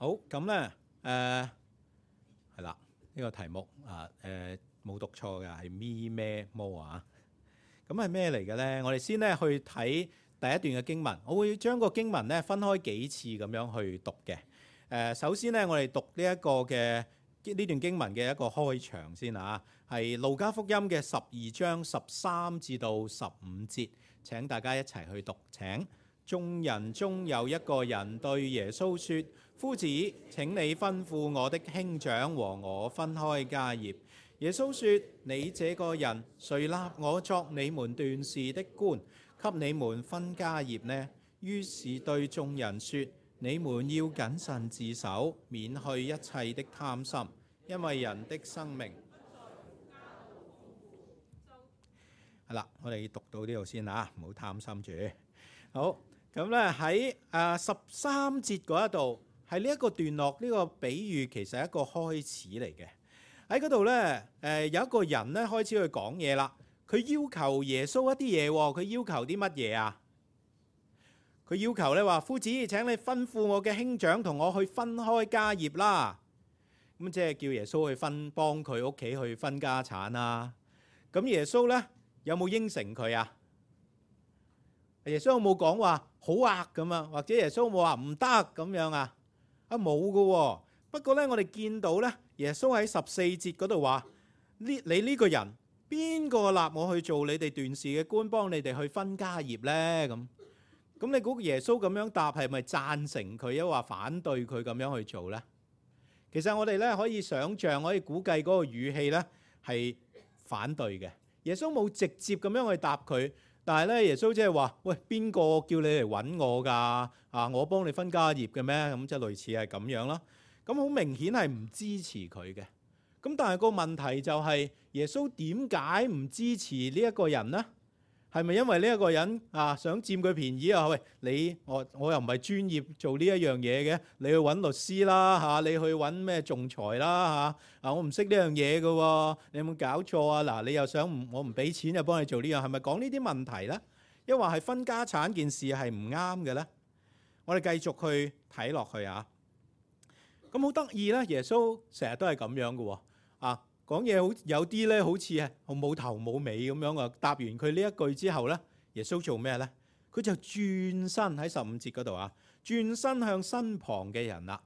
好，咁咧係啦，呢個題目冇讀錯嘅，係咪咩魔啊？咁係咩嚟嘅咧？我哋先咧去睇第一段嘅經文，我會將個經文咧分開幾次咁樣去讀嘅。首先咧，我哋讀呢一個嘅呢段經文嘅一個開場先啊，係路加福音嘅12章13至到15節，請大家一齊去讀。請。眾人中有一個人對耶穌說：夫子，請你吩咐我的兄長和我分開家業。耶穌說：你這個人，誰立我作你們斷事的官，給你們分家業呢？於是對眾人說：你們要謹慎自守，免去一切的貪心，因為人的生命。係啦，我哋讀到呢度先啊，唔好貪心住。好。咁咧喺13節嗰一度係呢一個段落，呢個比喻其實係一個開始嚟嘅。喺嗰度咧有一個人咧開始去講嘢啦。佢要求耶穌一啲嘢喎。佢要求啲乜嘢啊？佢要求咧話：夫子，請你吩咐我嘅兄長同我去分開家業啦。咁即係叫耶穌去幫佢屋企去分家產啊。咁耶穌咧有冇應承佢啊？耶穌有冇講話好啊咁啊？或者耶穌有冇話唔得咁樣啊？冇噶喎。不過咧，我哋見到咧，耶穌喺14節嗰度話：你呢個人邊個立我去做你哋斷事嘅官，幫你哋去分家業咧？咁你估耶穌咁樣答係咪贊成佢，抑或反對佢咁樣去做咧？其實我哋咧可以想像，可以估計嗰個語氣咧係反對嘅。耶穌冇直接咁樣去答佢。但係咧，耶穌即係話：喂，邊個叫你嚟揾我㗎？啊，我幫你分家業嘅咩？咁即係類似係咁樣啦。咁好明顯係唔支持佢嘅。咁但係個問題就係耶穌點解唔支持呢一個人呢？係咪因為呢一個人想佔佢便宜啊？喂，我又唔係專業做呢一樣嘢嘅，你去揾律師啦，你去揾咩仲裁啦，我唔識呢樣嘢嘅喎，你有冇搞錯啊？嗱，你又想我唔俾錢就幫你做呢樣，係咪講呢啲問題呢？抑或係分家產件事係唔啱嘅呢？我哋繼續去睇落去啊。咁好得意咧，耶穌成日都係咁樣嘅喎。講嘢有啲咧，好似係冇頭冇尾咁樣啊！答完佢呢一句之後咧，耶穌做咩咧？佢就轉身喺15節嗰度啊，轉身向身旁嘅人啦。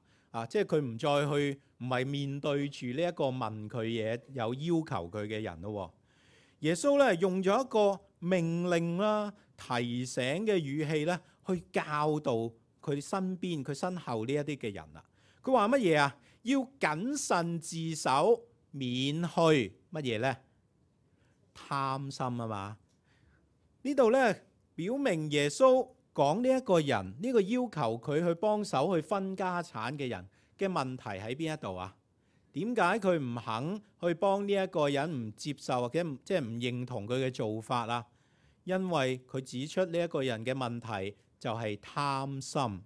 即係佢唔再去，唔係面對住呢一個問佢嘢有要求佢嘅人咯。耶穌咧用咗一個命令啦、提醒嘅語氣咧，去教導佢身邊、佢身後呢一啲嘅人啦。佢話乜嘢啊？要謹慎自守。免去乜嘢呢？貪心啊嘛！呢度咧表明耶穌講呢一個人，呢個要求佢去幫手去分家產嘅人嘅問題喺邊一度啊？點解佢唔肯去幫呢一個人，唔接受或者即係唔認同佢嘅做法啊？因為佢指出呢一個人嘅問題就係貪心。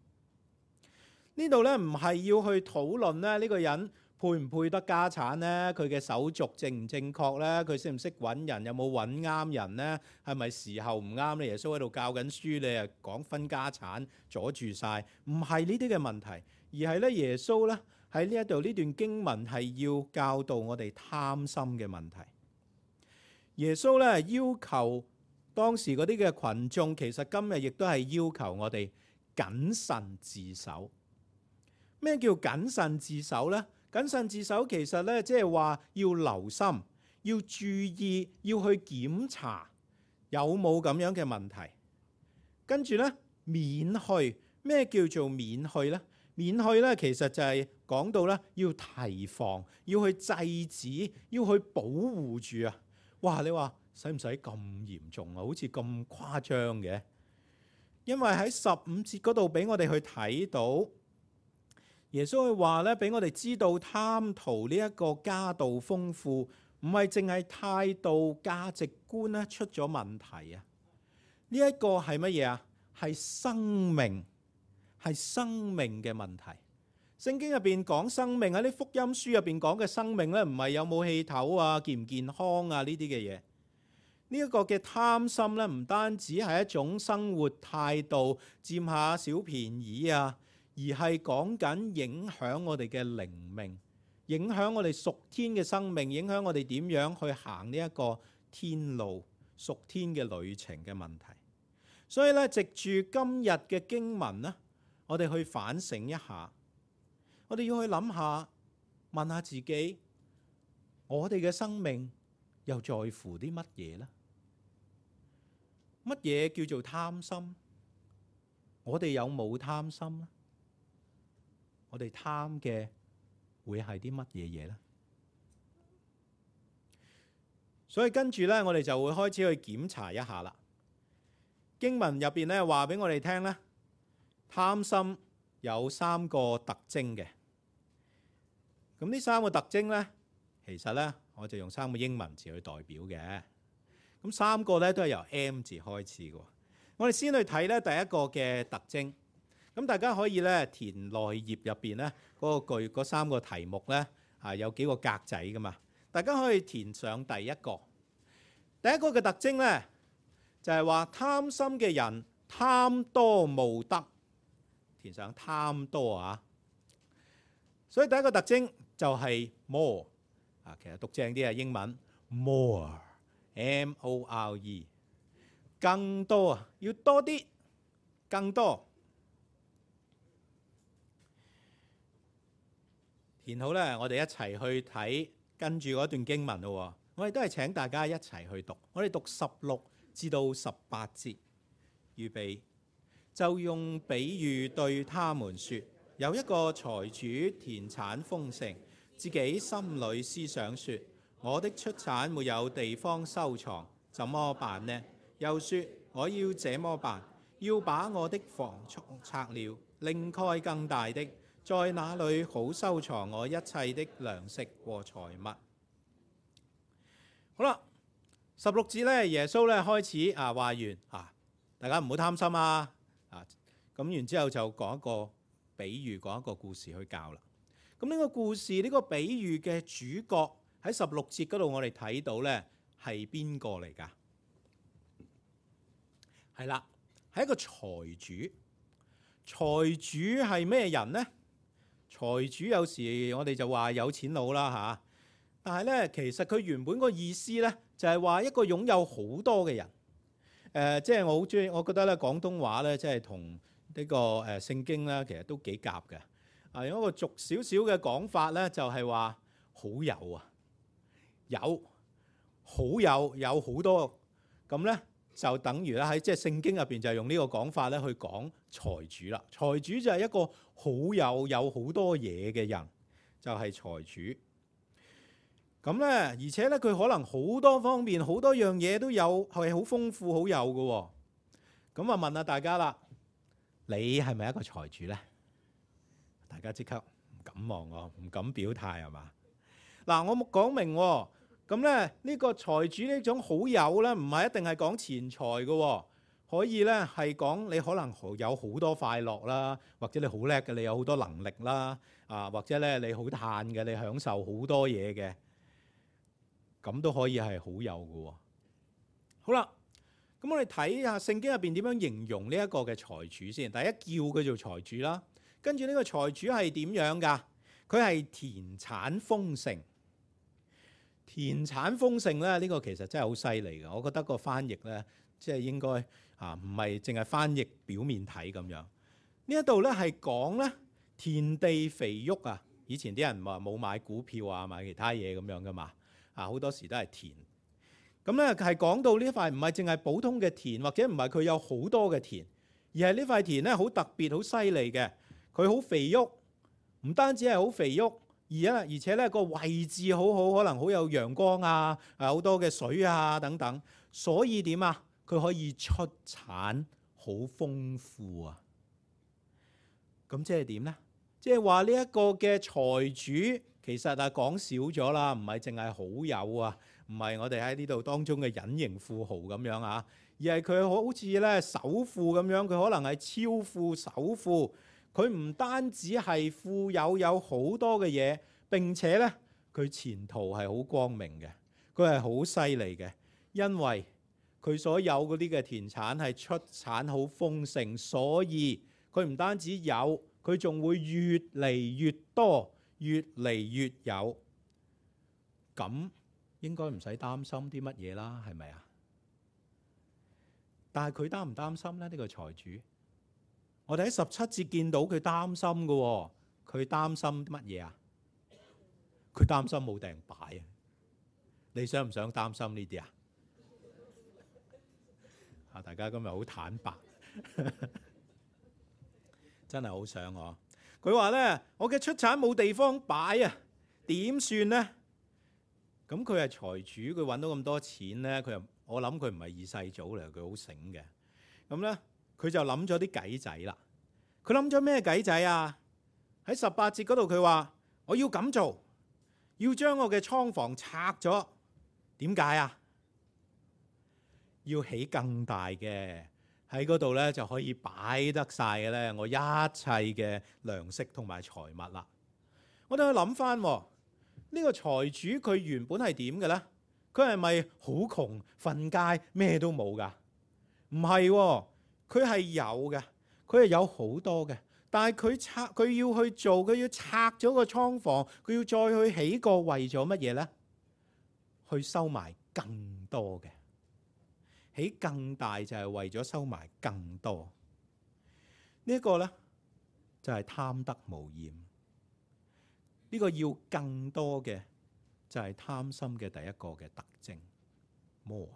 呢度咧唔係要去討論咧呢個人配唔配得家產呢？佢嘅手續正唔正確呢？佢識唔識揾人？有冇揾啱人呢？係咪時候唔啱咧？耶穌喺度教緊書，你又講分家產，阻住晒。唔係呢啲嘅問題，而係咧耶穌咧喺呢一度呢段經文係要教導我哋貪心嘅問題。耶穌咧要求當時嗰啲嘅群眾，其實今日亦都係要求我哋謹慎自守。咩叫謹慎自守呢？謹慎自守其實咧，即係話要留心、要注意、要去檢查有冇咁樣嘅問題。跟住咧，免去。咩叫做免去呢？免去咧，其實就係講到咧，要提防、要去制止、要去保護住啊！哇！你話使唔使咁嚴重啊？好似咁誇張嘅？因為喺15節嗰度俾我哋去睇到。耶穌佢話咧，俾我哋知道貪圖呢一個家道豐富，唔係淨係態度價值觀咧出咗問題啊！呢一個係乜嘢啊？係生命，係生命嘅問題。聖經入邊講生命，喺啲福音書入邊講嘅生命咧，唔係有冇氣頭啊、健唔健康啊呢啲嘅嘢。呢一個嘅貪心咧，唔單止係一種生活態度，佔下小便宜啊。而係講緊影響我哋嘅靈命，影響我哋屬天嘅生命，影響我哋點樣去行呢一個天路屬天嘅旅程嘅問題。所以咧，藉住今日嘅經文咧，我哋去反省一下，我哋要去諗下，問下自己，我哋嘅生命又在乎啲乜嘢呢？乜嘢叫做貪心？我哋有冇貪心呢？我哋貪嘅會係啲乜嘢嘢呢？所以跟住呢，我哋就會開始去檢查一下啦。經文入邊咧話俾我哋聽咧，貪心有3個特徵嘅。咁呢3個特徵咧，其實咧我就用3個英文字去代表嘅。咁3個咧都係由 M 字開始嘅。我哋先去睇咧第一個嘅特徵。咁大家可以咧填內頁入邊咧嗰3個題目咧有幾個格仔噶嘛。大家可以填上第一個。第一個嘅特徵咧，就係話貪心嘅人貪多慕得，填上貪多啊！所以第一個特徵就係 more 啊，其實讀正啲係英文 more，M-O-R-E， 更多啊，要多啲，更多。填好咧，我哋一齊去睇跟住嗰段經文咯。我哋都係請大家一齊去讀，我哋讀16至到18節，預備就用比喻對他們說：有一個財主田產豐盛，自己心裏思想說：我的出產沒有地方收藏，怎麼辦呢？又說：我要這麼辦，要把我的房拆了，另蓋更大的，在那裏好收藏我一切的糧食和財物。好啦。16節咧，耶穌咧開始話完大家唔好貪心啊！咁然之後就講一個比喻，講一個故事去教啦。咁呢個故事呢個比喻嘅主角喺16節嗰度，我哋睇到咧係邊個嚟㗎？係啦，係一個財主。財主係咩人呢？財主有時我哋就話有錢佬啦嚇，但係咧其實佢原本個意思咧，就係話一個擁有好多嘅人，即係我好中意，我覺得咧廣東話咧，即係同呢個聖經咧，其實都幾夾嘅。用一個俗少少嘅講法咧，就係話好有啊，有好多，咁咧就等於咧喺即係聖經入邊就係用呢個講法咧去講財主啦。財主就係一個有好多嘢嘅人，就係財主。咁咧，而且咧，佢可能好多方面、好多樣嘢都有，係好豐富、好有嘅。咁啊，問下大家啦，你係咪一個財主咧？大家即刻唔敢望我，唔敢表態係嘛？嗱，我冇講明喎。咁咧，呢個財主呢種好有咧，唔係一定係講錢財嘅，可以咧係講你可能有好多快樂啦，或者你好叻嘅，你有好多能力啦，或者咧你好嘆嘅，你享受好多嘢嘅。咁都可以係好有嘅。好啦，咁我哋睇下聖經入邊點樣形容呢一個嘅財主先。第一叫佢做財主啦，跟住呢個財主係點樣㗎？佢係田產豐盛。田產豐盛咧，呢個其實真係好犀利嘅。我覺得個翻譯咧，即係應該唔係淨係翻譯表面睇咁樣。呢一度咧係講咧田地肥沃啊。以前啲人話冇買股票啊，買其他嘢咁樣噶嘛。好多時都係田，咁咧係講到呢塊唔係淨係普通嘅田，或者唔係佢有好多嘅田，而係呢塊田咧好特別、好犀利嘅。佢好肥沃，唔單止係好肥沃，而且咧個位置好好，可能好有陽光啊，好多嘅水啊等等。所以點啊？佢可以出產好豐富啊！咁即係點咧？即係話呢一個嘅財主。其實講少咗啦，唔係淨係好有啊，唔係我哋喺呢度當中嘅隱形富豪咁樣啊，而係佢好似咧首富咁樣，佢可能係超富首富。佢唔單止係富有好多嘅嘢，並且咧佢前途係好光明嘅，佢係好犀利嘅，因為佢所有嗰啲嘅田產係出產好豐盛，所以佢唔單止有，佢仲會越嚟越多，越嚟越有。咁應該唔使擔心啲乜嘢啦，係咪啊？但係佢擔唔擔心咧？呢個財主，我哋喺17節見到佢擔心嘅喎。佢擔心乜嘢啊？佢擔心冇埞擺啊！你想唔想擔心呢啲啊？大家今日好坦白，真係好想我。佢話咧：我嘅出產冇地方擺啊，點算呢？咁佢係財主，佢揾到咁多錢咧，我諗佢唔係二世祖嚟，佢好醒嘅。咁咧，佢就諗咗啲計仔啦。佢諗咗咩計仔啊？喺18節嗰度佢話：我要咁做，要將我嘅倉房拆咗。點解啊？要起更大嘅，喺嗰度咧就可以擺得晒嘅咧，我一切嘅糧食同埋財物啦。我哋去諗翻呢個財主，佢原本係點嘅咧？佢係咪好窮，瞓街咩都冇噶？唔係喎，佢係有嘅，佢係有好多嘅。但係佢要去做，佢要拆咗個倉房，佢要再去起個，為咗乜嘢咧？去收埋更多嘅。起更大就係為咗收埋更多。呢一個咧就係貪得無厭。呢個要更多嘅就係貪心嘅第一個嘅特徵。more，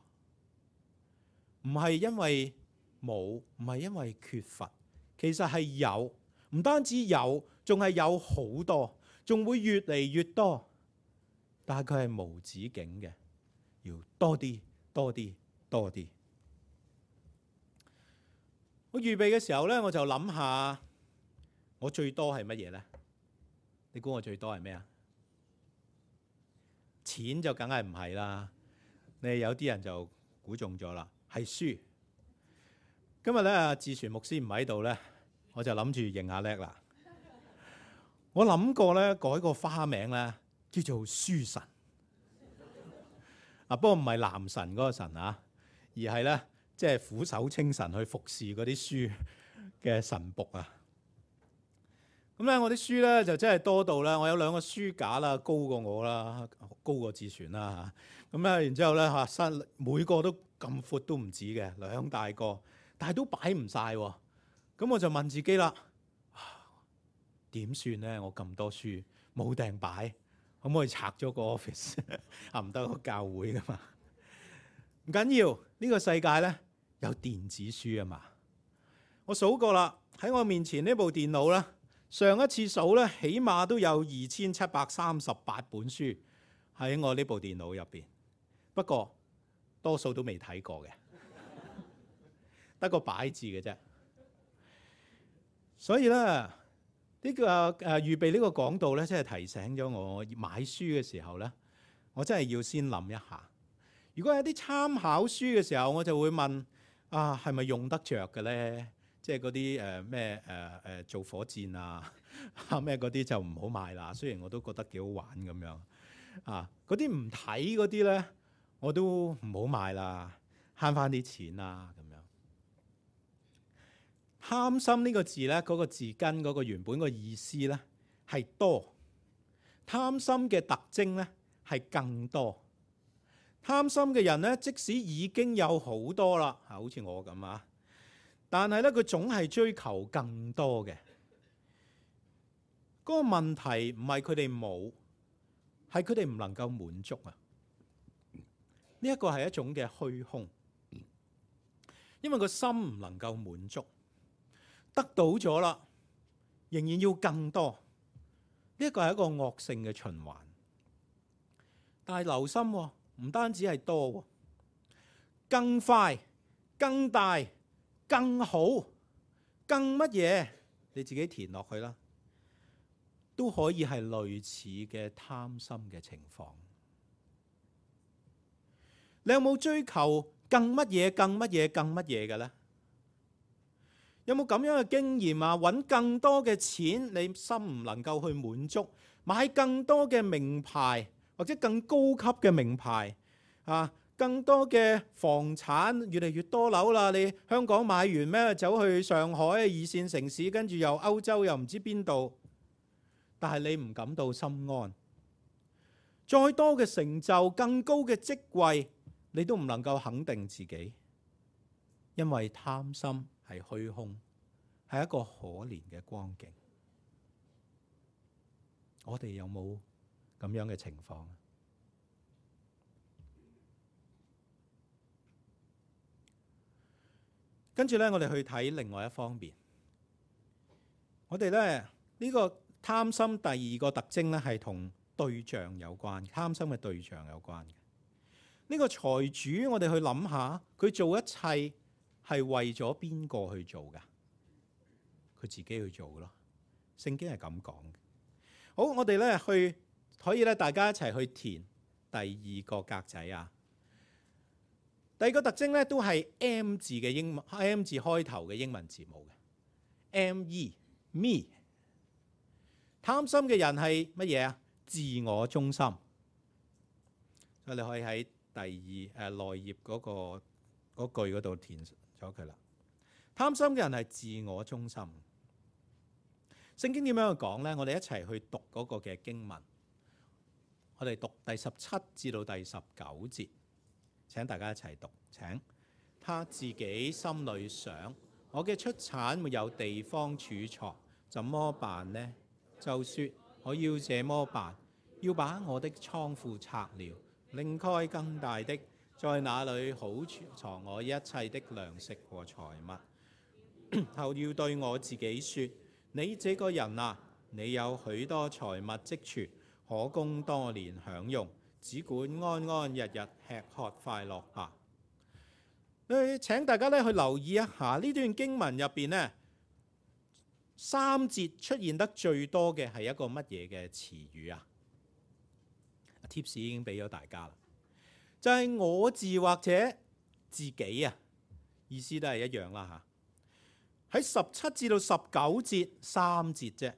唔係因為冇，唔係因為缺乏，其實係有。唔單止有，仲係有好多，仲會越嚟越多。但係佢係無止境嘅，要多啲、多啲、多啲。我預備嘅時候咧，我就諗下，我最多係乜嘢咧？你估我最多係咩啊？錢就梗係唔係啦。你有啲人就估中咗啦，係書。今日咧，志傳牧師唔喺度咧，我就諗住認下叻啦。我諗過咧，改個花名咧，叫做書神。不過唔係男神嗰個神啊，而係咧，即係俯首稱臣去服侍嗰啲書嘅神僕啊。咁咧，我啲書咧就真係多到咧，我有2個書架啦，高過我啦，高過志傳啦嚇。咁咧，然之後咧嚇，每個都咁闊都唔止嘅，2大個，但係都擺唔晒喎。咁我就問自己啦，點算咧？我咁多書冇埞擺，可唔可以拆咗個 office？ 唔得，個教會噶嘛。唔緊要，呢個世界咧有電子書啊嘛。我數過啦，喺我面前呢部電腦咧，上一次數咧，起碼都有2738本書喺我呢部電腦入邊。不過多數都未睇過嘅，得個擺字嘅啫。所以咧，呢個預備呢個講道咧，真係提醒咗我買書嘅時候咧，我真係要先諗一下。如果有啲參考書嘅時候，我就會問啊，係咪用得着嘅咧？即係嗰啲咩做火箭啊咩嗰啲就唔好買啦。雖然我都覺得幾好玩咁樣啊，嗰啲唔睇嗰啲咧，我都唔好買啦，慳翻啲錢啦咁樣。貪心呢個字咧，嗰個字根嗰個原本個意思咧係多，貪心嘅特徵咧係更多。貪心嘅人咧，即使已經有好多啦，好似我咁啊，但係咧佢總係追求更多嘅。嗰個問題唔係佢哋冇，係佢哋唔能夠滿足啊。呢一個係一種嘅虛空，因為個心唔能夠滿足。得到咗啦，仍然要更多，呢一個係一個惡性嘅循環。但係留心喎，唔單止係多喎，更快、更大、更好、更乜嘢，你自己填落去啦，都可以係類似嘅貪心嘅情況。你有冇追求更乜嘢、更乜嘢、更乜嘢嘅咧？有冇咁樣嘅經驗啊？揾更多嘅錢，你心唔能夠去滿足；買更多嘅名牌或者更高級嘅名牌啊，更多嘅房產，越嚟越多樓啦。你香港買完咩？走去上海二線城市，跟住又歐洲又唔知邊度，但係你唔感到心安。再多嘅成就，更高嘅職位，你都唔能夠肯定自己，因為貪心係虛空，係一個可憐嘅光景。我哋有冇咁樣嘅情況？跟住咧，我哋去睇另外一方面。我哋咧呢個貪心第二個特徵咧，係同對象有關，貪心嘅對象有關嘅。呢個財主，我哋去諗下，佢做一切係為咗邊個去做㗎？佢自己去做嘅咯。聖經係咁講嘅。好，我哋咧可以咧，大家一齊去填第二個格仔啊。第二個特徵咧，都係 M 字嘅M 字開頭嘅英文字母嘅 me。貪心嘅人係乜嘢啊？自我中心。所以你可以喺第二內頁嗰句嗰度填咗佢啦。貪心嘅人係自我中心。聖經點樣去講呢？我哋一齊去讀嗰個嘅經文。我哋讀第17至到第19節。請大家一齊讀。請他自己心裏想：我嘅出產沒有地方儲藏，怎麼辦呢？就說我要這麼辦，要把我的倉庫拆了，另蓋更大的，在那裏好儲藏我一切的糧食和財物。後要對我自己說：你這個人啊，你有許多財物積存，可供多年享用，只管安安日日吃喝快樂吧。請大家咧去留意一下呢段經文入邊呢，3節出現得最多嘅係一個乜嘢嘅詞語啊？Tips 已經俾咗大家啦，就係我字或者自己啊，意思都係一樣啦嚇。喺17至到19節3節啫，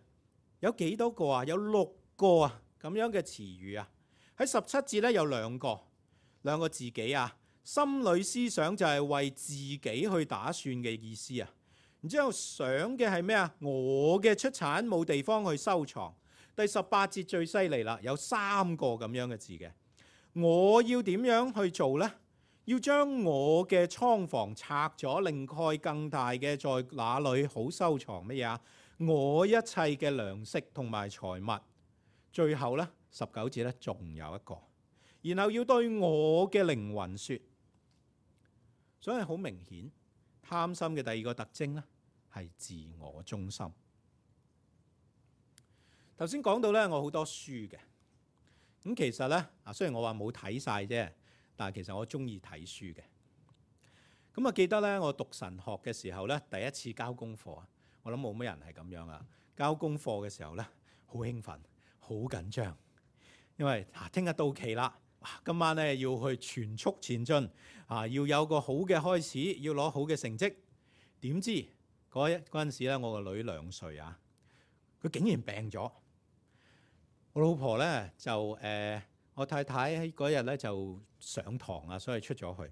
有幾多個啊？有6個啊咁樣嘅詞語啊。喺17節咧有兩個自己啊。心裏思想就係為自己去打算嘅意思啊，然之後想嘅係咩啊？我嘅出產冇地方去收藏。第18節最犀利啦，有3個咁樣嘅字嘅。我要點樣去做呢？要將我嘅倉房拆咗，另蓋更大嘅，在那裏好收藏乜嘢啊？我一切嘅糧食同埋財物。最後呢，19節呢仲有一個，然後要對我嘅靈魂說。所以好明顯，貪心嘅第二個特徵呢係自我中心。頭先講到呢，我好多書嘅，咁其實呢，雖然我話冇睇晒啫，但係其實我中意睇書嘅。咁啊，記得呢，我讀神學嘅時候呢，第一次交功課啊，我諗冇乜人係咁樣啊。交功課嘅時候呢，好興奮，好緊張，因為聽日到期啦。今晚咧要去全速前進啊！要有個好嘅開始，要攞好嘅成績。點知嗰陣時咧，我個女2歲啊，佢竟然病咗。我老婆咧就我太太喺嗰日咧就上堂啊，所以出咗去。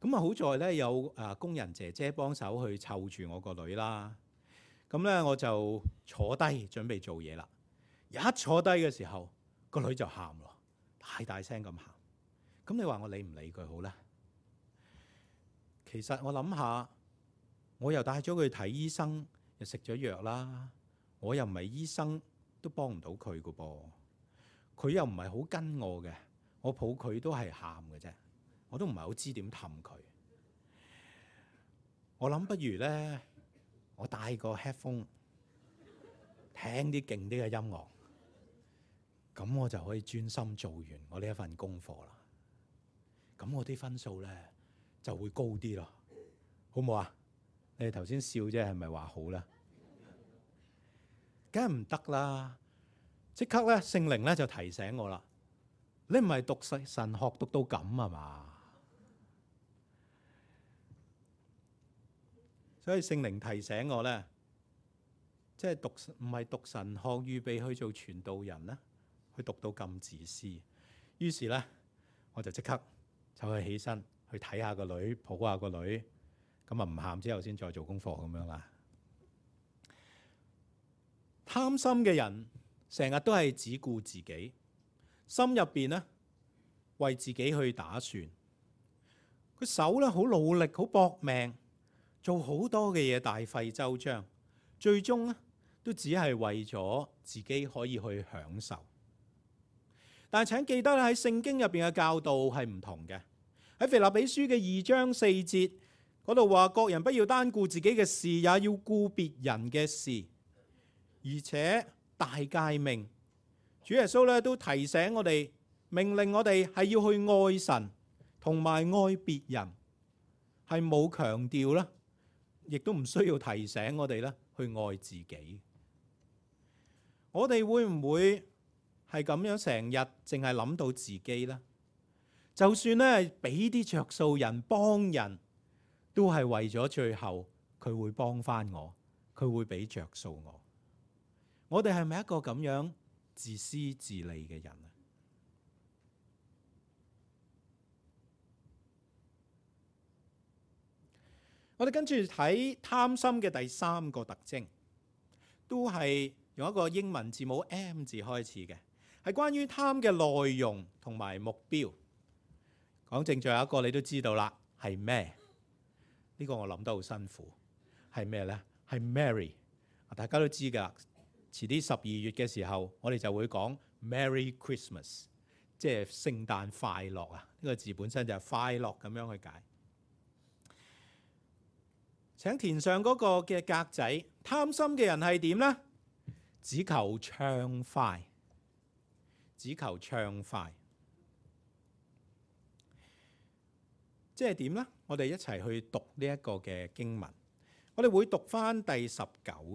咁啊好在咧有工人姐姐幫手去湊住我個女啦。咁咧我就坐低準備做嘢啦。一坐低嘅時候，個女就喊咯。大聲咁喊，咁你話我理唔理佢好呢？其實我諗下，我又帶咗佢睇醫生，又食咗藥啦，我又唔係醫生，都幫唔到佢噶噃。佢又唔係好跟我嘅，我抱佢都係喊嘅啫，我都唔係好知點氹佢。我諗不如呢，我帶個 headphone 聽啲勁啲嘅音樂。咁我就可以專心做完我呢一份功課啦。咁我啲分數咧就會高啲咯，好唔好啊？你哋頭先笑啫，係咪話好咧？梗係唔得啦！即刻咧，聖靈咧就提醒我啦。你唔係讀神學讀到咁啊嘛？所以聖靈提醒我咧，即係唔係讀神學預備去做傳道人咧？佢讀到咁自私，於是咧我就即刻就去起身去睇下個女，抱下個女，咁啊唔喊之後先再做功課咁樣啦。貪心嘅人成日都係只顧自己，心入邊呢為自己去打算，佢手咧好努力，好搏命，做好多嘅嘢，大費周章，最終呢都只係為咗自己可以去享受。但係請記得喺聖經入邊嘅教導係唔同嘅。喺腓立比書嘅2章4節嗰度話，各人不要單顧自己嘅事，也要顧別人嘅事。而且大誡命，主耶穌咧都提醒我哋，命令我哋係要去愛神同埋愛別人，係冇強調啦，亦都唔需要提醒我哋啦去愛自己。我哋會唔會係咁樣成日淨係諗到自己呢？就算咧俾啲着數人幫人，都係為咗最後佢會幫翻我，佢會俾着數我。我哋係咪一個咁樣自私自利嘅人啊？我哋跟住睇貪心嘅第3個特徵，都係用一個英文字母 M 字開始嘅，係關於貪嘅內容同埋目標。講正最後一個你都知道啦，係咩？呢個我諗得好辛苦，係咩呢？係 Merry， 大家都知㗎。遲啲12月嘅時候，我哋就會講 Merry Christmas， 即係聖誕快樂啊！呢個字本身就係快樂咁樣去解。請填上嗰個嘅格仔。貪心嘅人係點呢？只求暢快，只求暢快。即係點呢？我哋一齊去讀呢一個嘅經文。我哋會讀返第19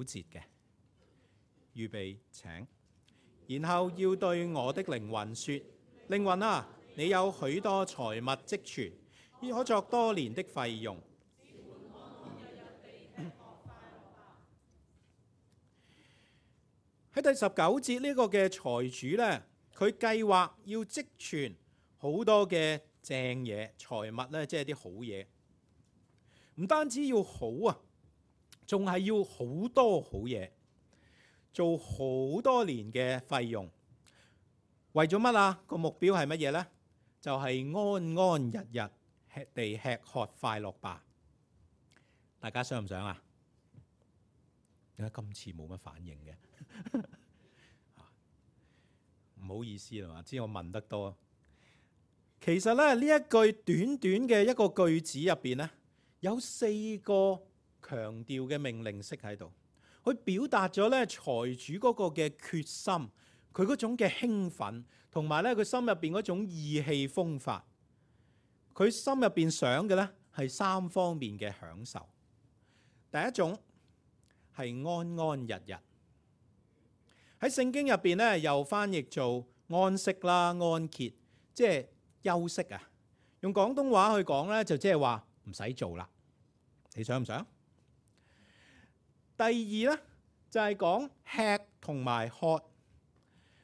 節嘅。預備請，然後要對我的靈魂說：靈魂啊，你有許多財物積存，可作多年的費用。喺第19節呢個嘅財主呢，佢計劃要積存好多嘅正嘢，財物呢，即係啲好嘢。唔單止要好啊，仲係要好多好嘢。做好多年嘅費用，為咗乜啊？個目標係乜嘢呢？就係安安日日地吃喝快樂吧。大家想唔想啊？點解今次冇乜反應嘅？唔好意思啦嘛，知我問得多。其實咧，呢一句短短嘅一個句子入邊呢，有4個強調嘅命令式喺度。佢表達咗咧財主嗰個嘅決心，佢嗰種嘅興奮，同埋咧佢心入邊嗰種意氣風發。佢心入邊想嘅咧係3方面嘅享受。第一種係安安日日，喺聖經入邊咧又翻譯做安息啦、安歇，即係休息啊。用廣東話去講咧，就即係話唔使做啦。你想唔想？第二呢，就係講吃同埋喝，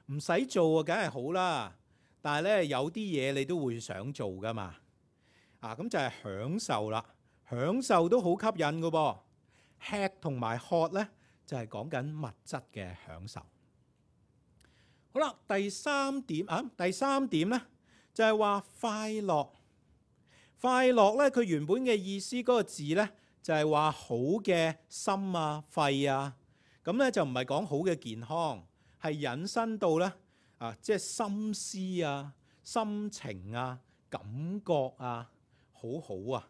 唔使做啊，梗係好啦。但係咧有啲嘢你都會想做噶嘛。咁就係享受啦，享受都好吸引噶噃。吃同埋喝呢，就係講緊物質嘅享受。好啦，第三點呢，就係話快樂。快樂呢，佢原本嘅意思嗰個字呢，就係話好嘅心啊、肺啊，咁咧就唔係講好嘅健康，係引申到咧即係心思啊、心情啊、感覺啊，好好啊，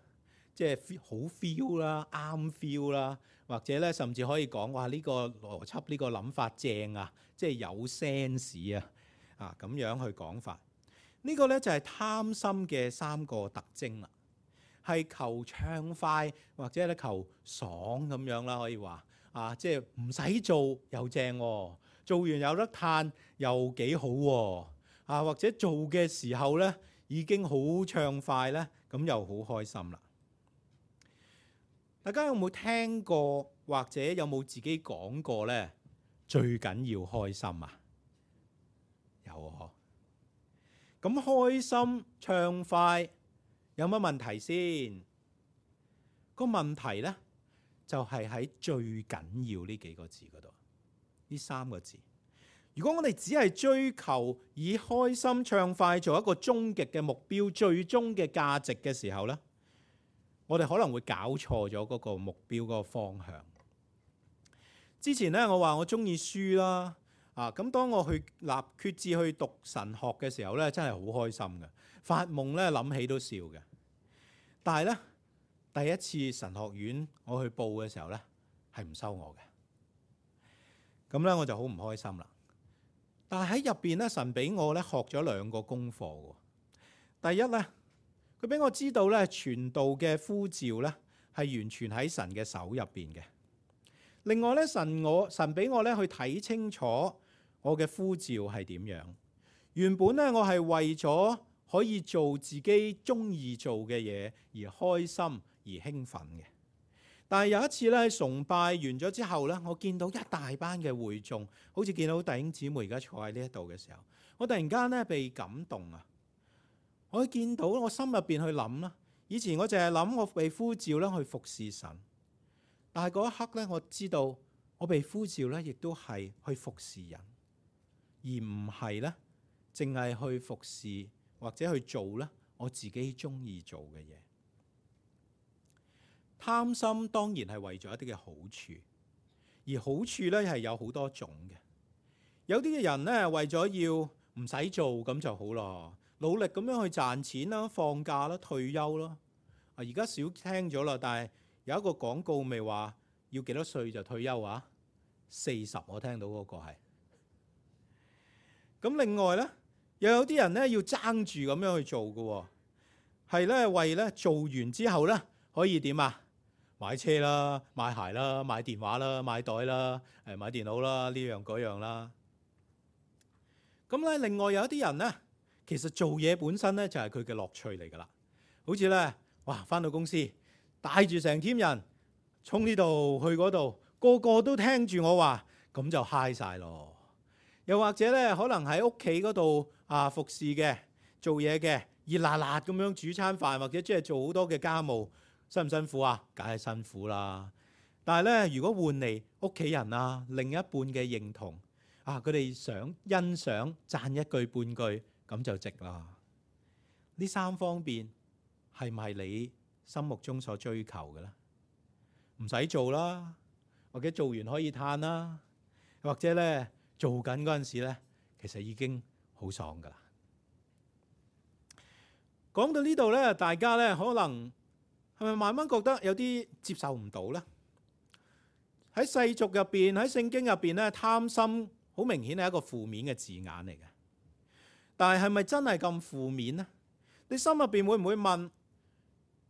即係好 feel 啦、啱 feel 啦，或者咧甚至可以講話呢個邏輯、呢個諗法正啊，即係有 sense 啊咁樣去講法。呢個咧就係貪心嘅3個特徵啦。係求暢快或者咧求爽咁樣啦，可以話即係唔使做又正喎，做完有得嘆又幾好喎，或者做嘅時候咧已經好暢快咧，咁又好開心啦。大家有冇聽過或者有冇自己講過咧？最緊要開心啊！有啊，咁開心暢快有乜問題先？個問題呢，就係喺最緊要呢幾個字嗰度，呢3個字。如果我哋只係追求以開心暢快做一個終極嘅目標、最終嘅價值嘅時候呢，我哋可能會搞錯咗嗰個目標嗰個方向。之前呢，我話我中意書啦，咁當我去決志去讀神學嘅時候呢，真係好開心嘅，發夢呢，諗起都笑嘅。但係呢，第一次神學院我去報嘅時候呢，係唔收我嘅，咁呢，我就好唔開心啦。但係喺入邊咧，神俾我咧學咗2個功課喎。第一咧，佢俾我知道咧，傳道嘅呼召咧係完全喺神嘅手入邊嘅。另外咧，神俾我咧去睇清楚我嘅呼召係點樣。原本咧，我係為咗可以做自己中意做嘅嘢而開心而興奮嘅。但係有一次咧，喺崇拜完咗之後咧，我見到一大班嘅會眾，好似見到弟兄姊妹而家坐喺呢一度嘅時候，我突然間咧被感動啊！我見到我心入邊去諗啦，以前我淨係諗我被呼召咧去服侍神，但係嗰一刻咧，我知道我被呼召咧，亦都係去服侍人，而唔係咧淨係去服侍或者去做咧我自己中意做嘅嘢。貪心當然係為咗一啲嘅好處，而好處咧係有好多種嘅。有啲嘅人咧為咗要唔使做咁就好咯，努力咁樣去賺錢啦、放假啦、退休啦。而家少聽咗啦，但係有一個廣告咪話要幾多歲就退休啊？40我聽到嗰個係。咁另外咧，又有啲人咧要爭住咁樣去做嘅，係咧為咧做完之後咧可以點啊？買車啦、買鞋啦、買電話啦、買袋啦、買電腦啦，呢樣嗰樣啦。咁咧，另外有一啲人咧，其實做嘢本身咧就係佢嘅樂趣嚟㗎啦。好似咧，哇，返到公司帶住成 team 人衝呢度去嗰度，個個都聽住我話，咁就嗨晒咯。又或者咧，可能喺屋企嗰度服侍嘅、做嘢嘅，熱辣辣咁樣煮餐飯，或者即係做好多嘅家務。辛唔辛苦啊？梗係辛苦啦。但係咧，如果換嚟屋企人啊、另一半嘅認同佢哋想欣賞、讚一句半句，咁就值啦。呢3方面係唔係你心目中所追求嘅咧？唔使做啦，或者做完可以嘆啦，或者咧做緊嗰陣時咧，其實已經好爽噶啦。講到呢度咧，大家咧可能係咪慢慢覺得有啲接受唔到呢？喺世俗入邊，喺聖經入邊咧，貪心好明顯係一個負面嘅字眼嚟嘅。但係係咪真係咁負面呢？你心入邊會唔會問：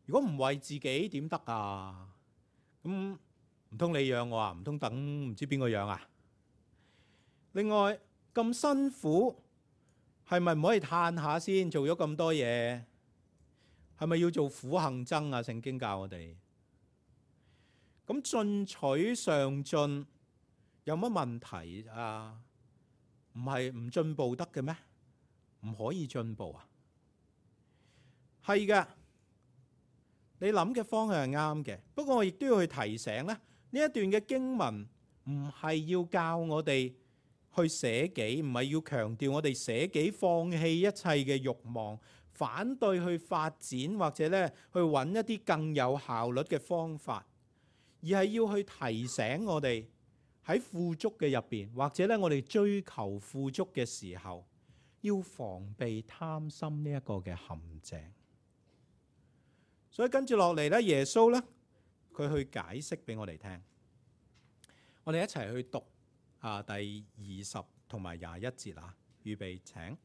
如果唔為自己點得啊？咁唔通你養我啊？唔通等唔知邊個養啊？另外咁辛苦，係咪唔可以嘆下先？做咗咁多嘢。係咪要做苦行僧啊？聖經教我哋咁進取上進有乜問題啊？唔係唔進步得嘅咩？唔可以進步啊？係嘅，你諗嘅方向係啱嘅。不過我亦都要去提醒咧，呢一段嘅經文唔係要教我哋去捨己，唔係要強調我哋捨己放棄一切嘅慾望。反對去發展或者咧去揾一啲更有效率嘅方法，而係要去提醒我哋喺富足嘅入邊，或者咧我哋追求富足嘅時候，要防備貪心呢一個嘅陷阱。所以跟住落嚟咧，耶穌咧佢去解釋俾我哋聽，我哋一齊去讀第20同埋21節啊，預備請。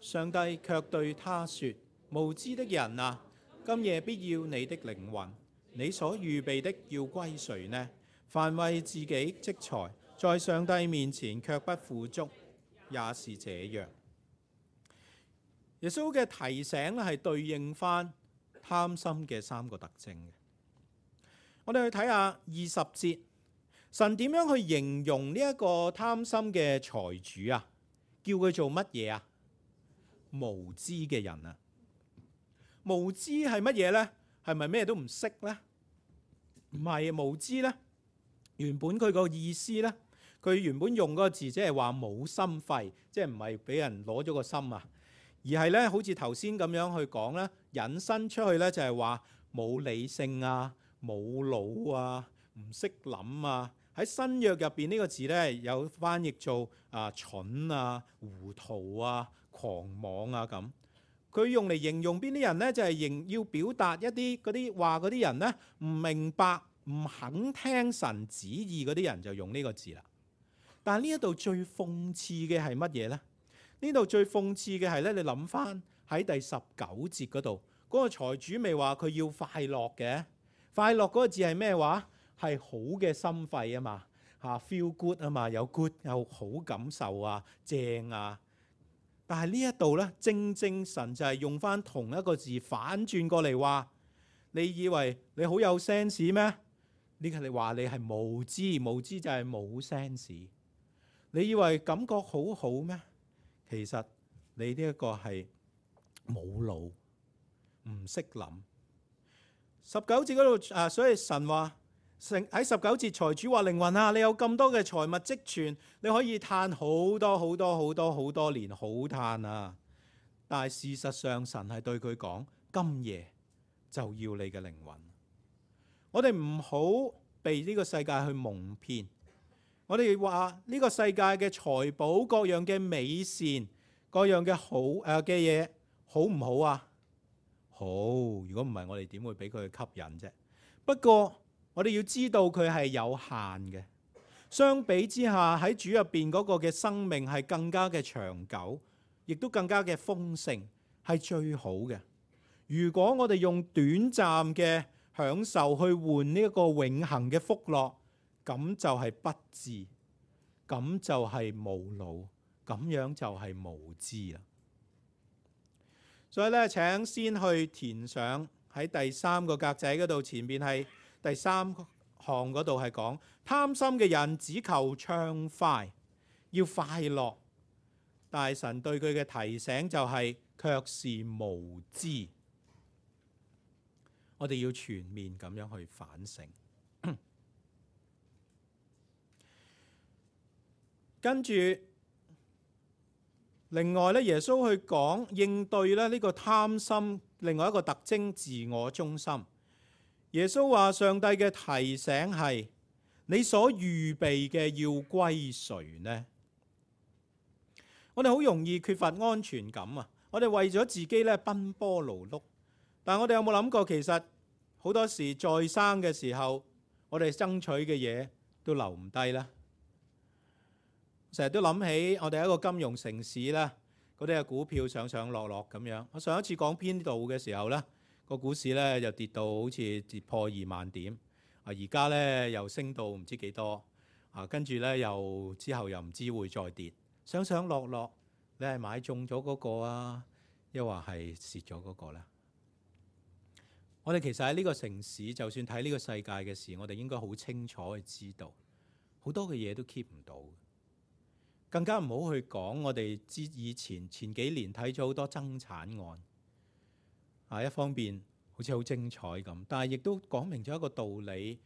上帝卻對他說：無知的人啊，今夜必要你的靈魂，你所預備的要歸誰呢？凡為自己積財，在上帝面前卻不富足，也是這樣。耶穌嘅提醒咧係對應翻貪心嘅3個特徵嘅。我哋去睇下20節，神點樣去形容呢一個貪心嘅財主啊？叫佢做乜嘢啊？無知嘅人啊！無知係乜嘢呢？係咪咩都唔識呢？唔係，無知呢，原本佢個意思呢，佢原本用嗰個字即係話冇心肺，即係唔係俾人攞咗個心啊，而係呢，好似頭先咁樣去講呢，引申出去呢，就係話冇理性啊，冇腦啊，唔識諗啊。喺新約入邊呢個字呢，有翻譯做蠢啊、糊塗啊、狂妄啊咁。佢用嚟形容邊啲人呢？就係要表達一啲嗰啲話嗰啲人呢，唔明白、唔肯聽神旨意嗰啲人就用呢個字啦。但係呢一度最諷刺嘅係乜嘢呢？呢度最諷刺嘅係呢，你諗翻喺第19節嗰度，嗰個財主未話佢要快樂嘅？快樂嗰個字係咩話？係好嘅心肺啊嘛，feel good 啊嘛，有 good 有好感受啊，正啊。但係呢一度呢，正神就係用翻同一個字反轉過嚟話，你以為你好有 sense 咩？呢個你話你係無知，無知就係冇 sense。你以為感覺好好咩？其實你呢一個係冇腦，唔識諗。19節嗰度所以神話喺19節，財主話靈魂啊，你有咁多嘅財物積存，你可以嘆好多好多好多好多年，好嘆啊！但係事實上，神係對佢講：今夜就要你嘅靈魂。我哋唔好被呢個世界去蒙騙。我哋話呢個世界嘅財寶、各樣嘅美善、各樣嘅好嘅嘢，好唔好啊？好，如果唔係，我哋點會俾佢吸引啫？不過我哋要知道佢係有限嘅。相比之下，喺主入邊嗰個嘅生命係更加嘅長久，亦都更加嘅豐盛，係最好嘅。如果我哋用短暫嘅享受去換呢一個永恆嘅福樂，咁就係不智，咁就係無腦，咁樣就係無知啦。所以咧，請先去填上喺第3個格仔嗰度，前面係第3項嗰度係講貪心嘅人只求暢快，要快樂，但係神對佢嘅提醒就係卻是無知。我哋要全面咁樣去反省。跟住另外咧，耶穌去講應對咧呢個貪心另外一個特徵，自我中心。耶穌話上帝嘅提醒係：你所預備嘅要歸誰呢？我哋好容易缺乏安全感啊！我哋為咗自己咧奔波勞碌，但係我哋有冇諗過，其實好多時在生嘅時候，我哋爭取嘅嘢都留唔低啦。成日都諗起我哋一個金融城市啦，嗰啲嘅股票上上落落咁樣。我上一次講編導嘅時候呢，個股市呢就跌到好似跌破2萬點，而家呢又升到唔知幾多，跟住呢又之後又唔知會再跌，上上落落。你係買中咗嗰個啊，又或係蝕咗嗰個呢？我哋其實喺呢個城市，就算睇呢個世界嘅事，我哋應該好清楚去知道，好多嘅嘢都 keep 唔到。更加唔好去講我哋以前幾年睇咗好多爭產案，一方面好似好精彩咁，但係亦都講明咗一個道理，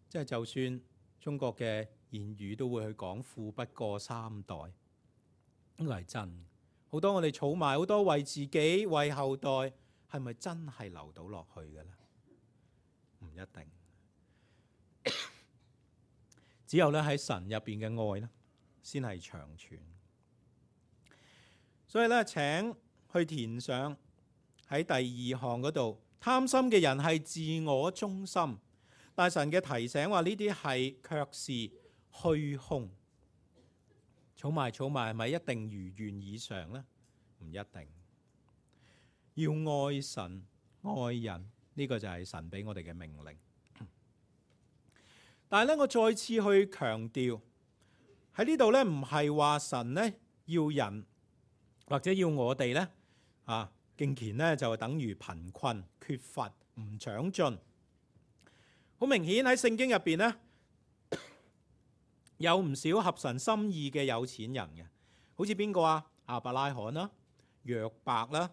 即係就算中國嘅言語都會去講富不過3代，呢個係真。好多我哋儲埋好多為自己為後代，係咪真係留到落去嘅咧？唔一定。只有咧喺神入邊嘅愛咧，先係長存。所以咧，請去填上喺第2項嗰度，貪心嘅人係自我中心，但神嘅提醒話呢啲係卻是虛空。儲埋係咪一定如願以償呢？唔一定。要愛神愛人，呢個就係神俾我哋嘅命令。但係咧，我再次去強調喺呢度咧，唔係話神咧要人或者要我哋咧敬虔咧就等於貧困缺乏唔長進。好明顯喺聖經入邊咧，有唔少合神心意嘅有錢人嘅，好似邊個啊？亞伯拉罕啦、約伯啦，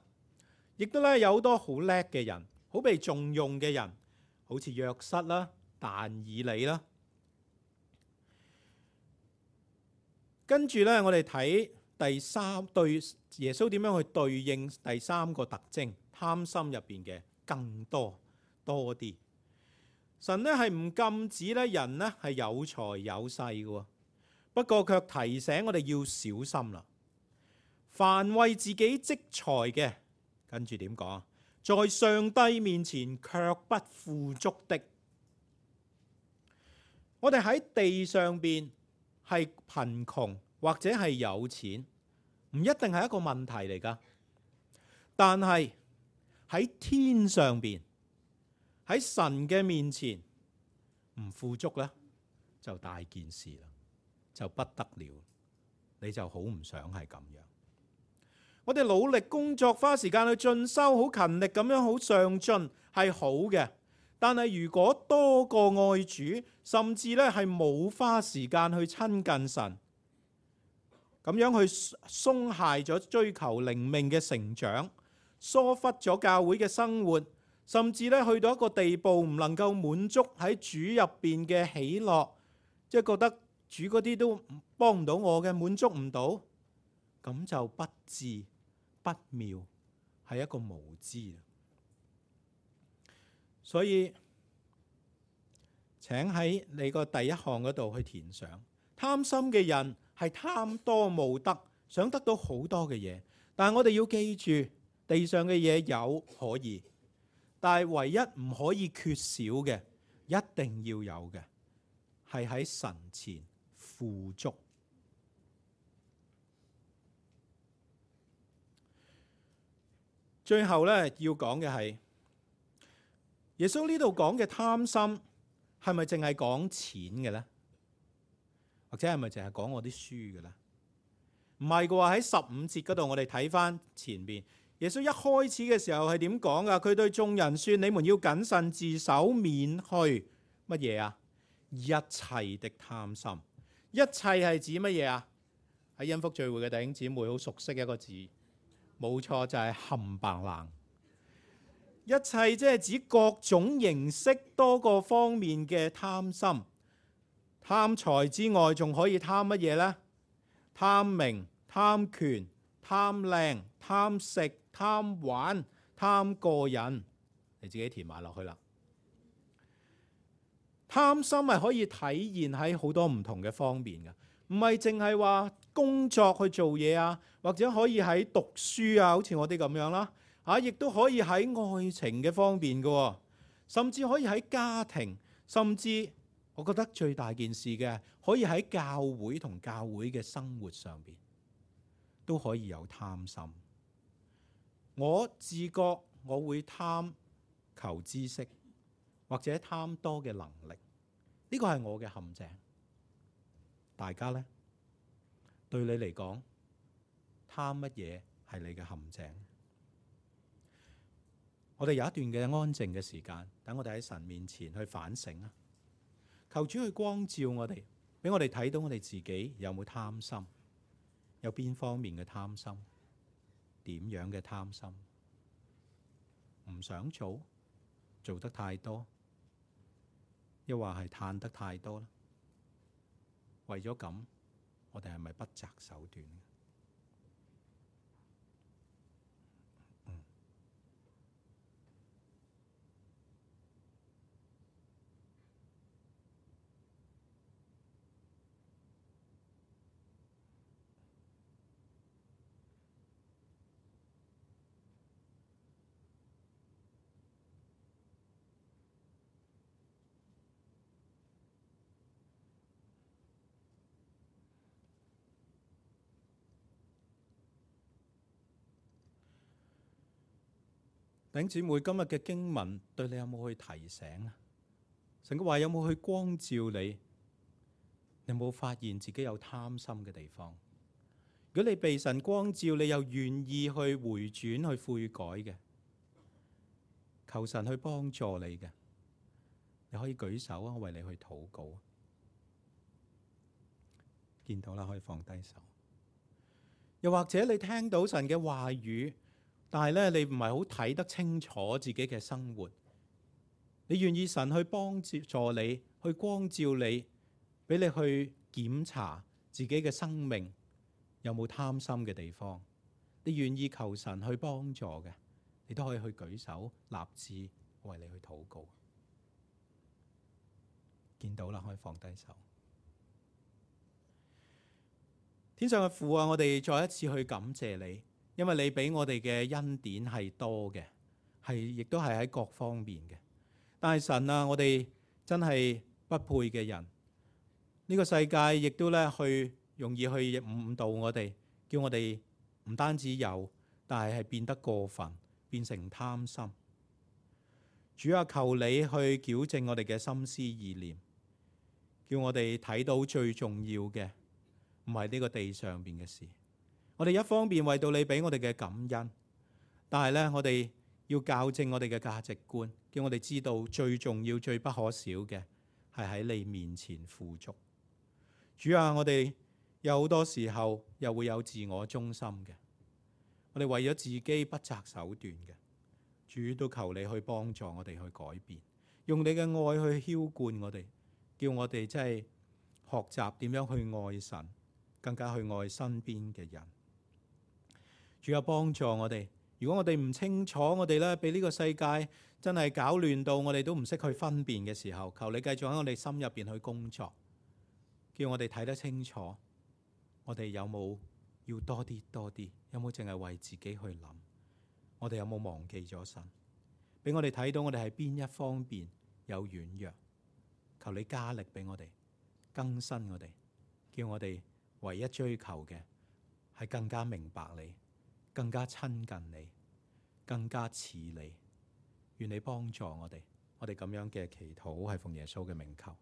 亦都咧有好多好叻嘅人，好被重用嘅人，好似約瑟啦、但以理啦。跟住咧，我哋睇第三對耶穌點樣去對應第三個特徵，貪心入邊嘅更多啲。神咧係唔禁止咧人咧係有財有勢嘅，不過卻提醒我哋要小心啦。凡為自己積財嘅，跟住點講？在上帝面前卻不富足的。我哋喺地上邊係貧窮或者係有錢，唔一定係一個問題嚟㗎。但係喺天上邊，喺神嘅面前唔富足咧，就大件事啦，就不得了。你就好唔想係咁樣。我哋努力工作，花時間去進修，好勤力咁樣，好上進係好嘅。但係如果多過愛主，甚至咧係冇花時間去親近神，咁樣去鬆懈咗追求靈命嘅成長，疏忽咗教會嘅生活，甚至咧去到一個地步唔能夠滿足喺主入邊嘅喜樂，即係覺得主嗰啲都幫唔到我嘅，滿足唔到，咁就不智不妙，係一個無知。所以請喺你個第一項嗰度去填上，貪心嘅人係貪多慕得，想得到好多嘅嘢。但係我哋要記住，地上嘅嘢有可以，但係唯一唔可以缺少嘅，一定要有嘅，係喺神前富足。最後咧要講嘅係，耶穌呢度講嘅貪心係咪淨係講錢嘅咧？或者係咪淨係講我啲書嘅咧？唔係嘅喎，喺15節嗰度我哋睇翻前邊，耶穌一開始嘅時候係點講噶？佢對眾人說：你們要謹慎自守，免去乜嘢啊？一切的貪心。一切係指乜嘢啊？喺恩福聚會嘅弟兄姊妹好熟悉一個字，冇錯，就係冚唪唥。一切即係指各種形式、多個方面嘅貪心。貪財之外，仲可以貪乜嘢呢？貪名、貪權、貪靚、貪食、貪玩、貪個人，你自己填埋落去啦。貪心係可以體現喺好多唔同嘅方面嘅，唔係淨係話工作去做嘢啊，或者可以喺讀書啊，好似我哋咁樣啦。亦都可以喺愛情嘅方面嘅，甚至可以喺家庭，甚至我覺得最大件事嘅，可以喺教會同教會嘅生活上邊都可以有貪心。我自覺我會貪求知識，或者貪多嘅能力，呢個係我嘅陷阱。大家呢，對你嚟講，貪乜嘢係你嘅陷阱？我哋有一段嘅安靜嘅時間，等我哋喺神面前去反省啊！求主去光照我哋，俾我哋睇到我哋自己有冇貪心，有邊方面嘅貪心，點樣嘅貪心，唔想做，做得太多，又或係嘆得太多咧？為咗咁，我哋係咪不擇手段？弟兄姊妹，今日嘅經文對你有冇去提醒啊？神嘅話有冇去光照你？你有冇發現自己有貪心嘅地方？如果你被神光照，你又願意去回轉去悔改嘅，求神去幫助你嘅，你可以舉手啊，我為你去禱告。見到啦，可以放低手。又或者你聽到神嘅話語，但係咧你唔係好睇得清楚自己嘅生活。你願意神去幫助你，去光照你，俾你去檢查自己嘅生命有冇貪心嘅地方。你願意求神去幫助嘅，你都可以去舉手立志為你去禱告。見到啦，可以放低手。天上嘅父啊，我哋再一次去感謝你，因為你俾我哋嘅恩典係多嘅，亦都係喺各方面嘅。但係神啊，我哋真係不配嘅人，呢個世界亦都咧去容易去誤導我哋，叫我哋唔單止有，但係變得過分，變成貪心。主啊，求你去矯正我哋嘅心思意念，叫我哋睇到最重要嘅唔係呢個地上邊嘅事。我哋一方面為到你俾我哋嘅感恩，但係咧我哋要校正我哋嘅價值觀，叫我哋知道最重要、最不可少嘅係喺你面前富足。主啊，我哋有好多時候又會有自我中心嘅，我哋為咗自己不擇手段嘅。主都求你去幫助我哋去改變，用你嘅愛去澆灌我哋，叫我哋真係學習點樣去愛神，更加去愛身邊嘅人。主啊，幫助我哋。如果我哋唔清楚，我哋咧俾呢個世界真係搞亂到我哋都唔識去分辨嘅時候，求你繼續喺我哋心入邊去工作，叫我哋睇得清楚，我哋有冇要多啲，有冇淨係為自己去諗？我哋有冇忘記咗神？俾我哋睇到我哋係邊一方面有軟弱，求你加力俾我哋，更新我哋，叫我哋唯一追求嘅係更加明白你，更加親近你，更加似你。願你幫助我哋，我哋咁樣嘅祈禱係奉耶穌嘅名求。